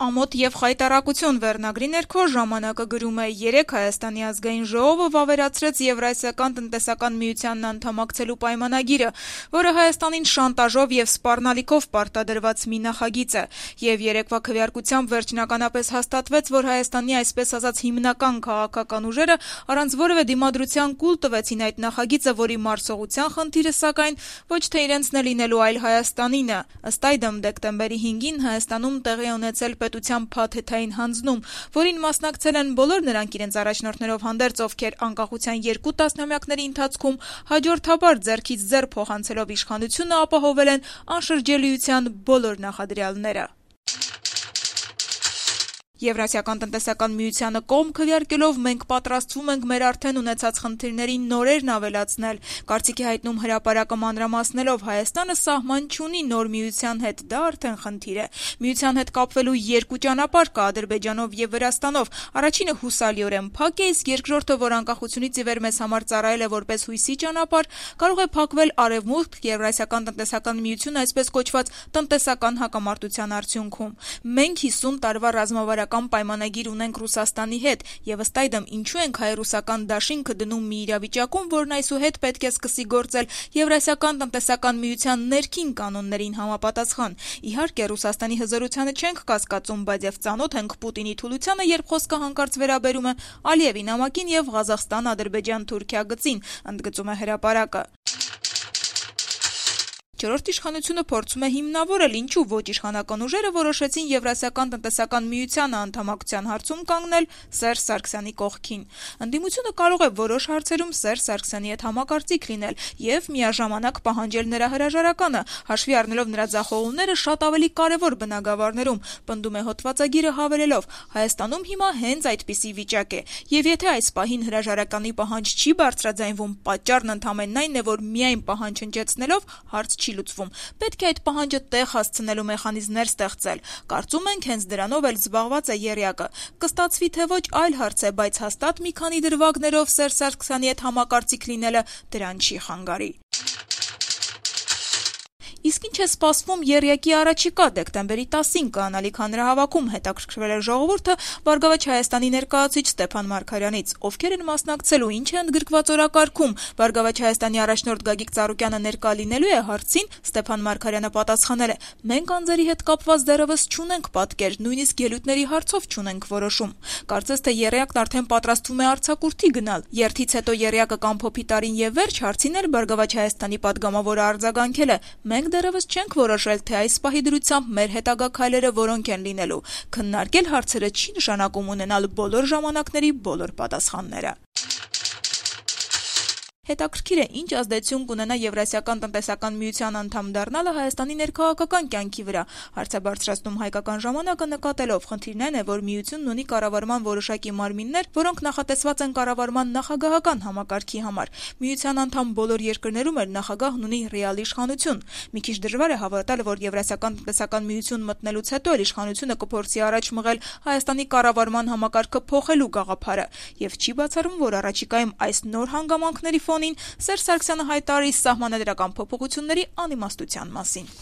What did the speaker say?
Ամոթ եւ խայտառակություն վերնագրի ներքո ժամանակը գրում է. երեկ Հայաստանի ազգային ժողովը վավերացրեց Եվրասիական տնտեսական միությանն անդամակցելու պայմանագիրը, որը Հայաստանին շանտաժով եւ սպառնալիքով պարտադրված մի նախագիծ է, եւ երեկվա քվեարկությամբ վերջնականապես հաստատվեց, որ Հայաստանի այսպես ասած հիմնական քաղաքական ուժերը առանց որևէ դիմադրության կուլ տվեցին այդ նախագիծը, որի մարսողության խնդիրը սակայն ոչ թե իրենցն է լինելու, այլ Հայաստանին է։ Ըստ այդմ դեկտեմբերի 5-ին Հայաստանում տեղի ունեցել պետության փաթեթային հանձնում, որին մասնակցել են բոլոր նրանք իրենց առաջնորդներով հանդերձ, ովքեր անկախության 2 տասնամյակների ընթացքում հաջորդաբար ձեռքից ձեռ փոխանցելով իշխանությունը ապահովել են անշրջելիության բոլոր նախադրյալները։ Եվրասիական տնտեսական միությանը կողմ քվեարկելով մենք պատրաստվում ենք մեր արդեն ունեցած խնդիրներին նորերն ավելացնել։ Կարծիքի հայտնում հրապարակը մանրամասնելով Հայաստանը սահման չունի նոր միության հետ, դա արդեն խնդիր է։ Միության հետ կապվելու 2 ճանապարհ կա Ադրբեջանով եւ Վրաստանով։ Առաջինը հուսալիորեն փակ է, իսկ երկրորդը, որ անկախությունից ի վեր մեզ համար ծառայել է որպես հույսի ճանապարհ, կարող է փակվել Արևմուտք, Եվրասիական տնտեսական միություն, այսպես կոչված տնտեսական հակամարտության արդյունքում։ Մենք 50 տարվա ռազմավարական պայմանագիր ունենք Ռուսաստանի հետ, եւ ըստ այդմ ինչու ենք հայ-ռուսական դաշինքը դնում մի իրավիճակում, որն այսուհետ պետք է սկսի գործել Եվրասիական տնտեսական միության ներքին կանոններին համապատասխան։ Իհարկե, Ռուսաստանի հզորությանը չենք կասկածում, բայց եւ ծանոթ ենք Պուտինի թուլությանը, երբ խոսքը հանկարծ վերաբերում է Ալիևի նամակին եւ Ղազախստան-Ադրբեջան-Թուրքիա գծին, ընդգծում է հրապարակը։ Չորրորդ իշխանությունը փորձում է հիմնավորել, ինչու ոչ իշխանական ուժերը որոշեցին Եվրասիական տնտեսական միությանը անդամակցության հարցում կանգնել Սերժ Սարգսյանի կողքին։ Ընդդիմությունը կարող է որոշ հարցերում Սերժ Սարգսյանի հետ համակարծիք լինել եւ միաժամանակ պահանջել նրա հրաժարականը, հաշվի առնելով նրա ձախողումները շատ ավելի կարեւոր բնագավառներում, պնդում է հոդվածագիրը հավելելով. Հայաստանում հիմա հենց այդպիսի վիճակ է, եւ եթե այս պահին հրաժարականի պահանջ չի բարձրաձայնվում, պատճառն ընդամենն այն է, որ միայն պահանջ հնչեցնելով հարց չի լուծվում։ Պետք է այդ պահանջը տեղ հասցնելու մեխանիզմներ ստեղծել։ Կարծում ենք հենց դրանով էլ զբաղված է եռյակը։ Կստացվի թե ոչ այլ հարց է, բայց հաստատ մի քանի դրվագներով Սերժ Սարգսյանի հետ համակարծիք լինելը դրան չի խանգարի։ Իսկ ինչ է սպասվում եռյակի առաջիկա դեկտեմբերի 10-ին կանալիք հանրահավաքում, հետաքրքրվել է ժողովուրդը Բարգավաճ Հայաստանի ներկայացուցիչ Ստեփան Մարգարյանից, ովքեր են մասնակցելու, ինչ է ընդգրկված օրակարգում։ Բարգավաճ Հայաստանի առաջնորդ Գագիկ Ծառուկյանը ներկա լինելու է հարցին, Ստեփան Մարգարյանը պատասխանել է. մենք անձերի հետ կապված դեռևս չունենք պատկեր, նույնիսկ ելույթների հարցով չունենք որոշում։ Կարծես թե եռյակն արդեն պատրաստվում է արձակուրդի գնալ։ Երթից հետո եռյակը կամփոփի տարին եւ վերջ հարցին էլ Բարգավաճ Հայաստանի падգամավորը արձագանքել է. մենք դեռևս չենք որոշել, թե այս պահի դրությամբ մեր հետագա քայլերը որոնք են լինելու։ Քննարկել հարցերը չի նշանակում ունենալ բոլոր ժամանակների բոլոր պատասխանները։ Հետաքրքիր է, ինչ ազդեցություն կունենա Եվրասիական տնտեսական միության անդամ դառնալը Հայաստանի ներքաղաքական կյանքի վրա։ Հարց է բարձրացնում Հայկական ժամանակը նկատելով. խնդիրն այն է, որ միությունն ունի կառավարման որոշակի մարմիններ, որոնք նախատեսված են կառավարման նախագահական համակարգի համար։ Միության անդամ բոլոր երկրներում էլ նախագահն ունի ռեալ իշխանություն։ Մի քիչ դժվար է հավատալ, որ Եվրասիական տնտեսական միություն մտնելուց հետո էլ իշխանությունը կփորձի առաջ մղել Հայաստանի կառավարման համակարգը փոխելու գաղափարը, եւ չի բացառում, որ առաջիկայում այս նոր հանգամանքների Սերժ Սարգսյանը հայտարարի սահմանադրական փոփոխությունների անիմաստության մասին։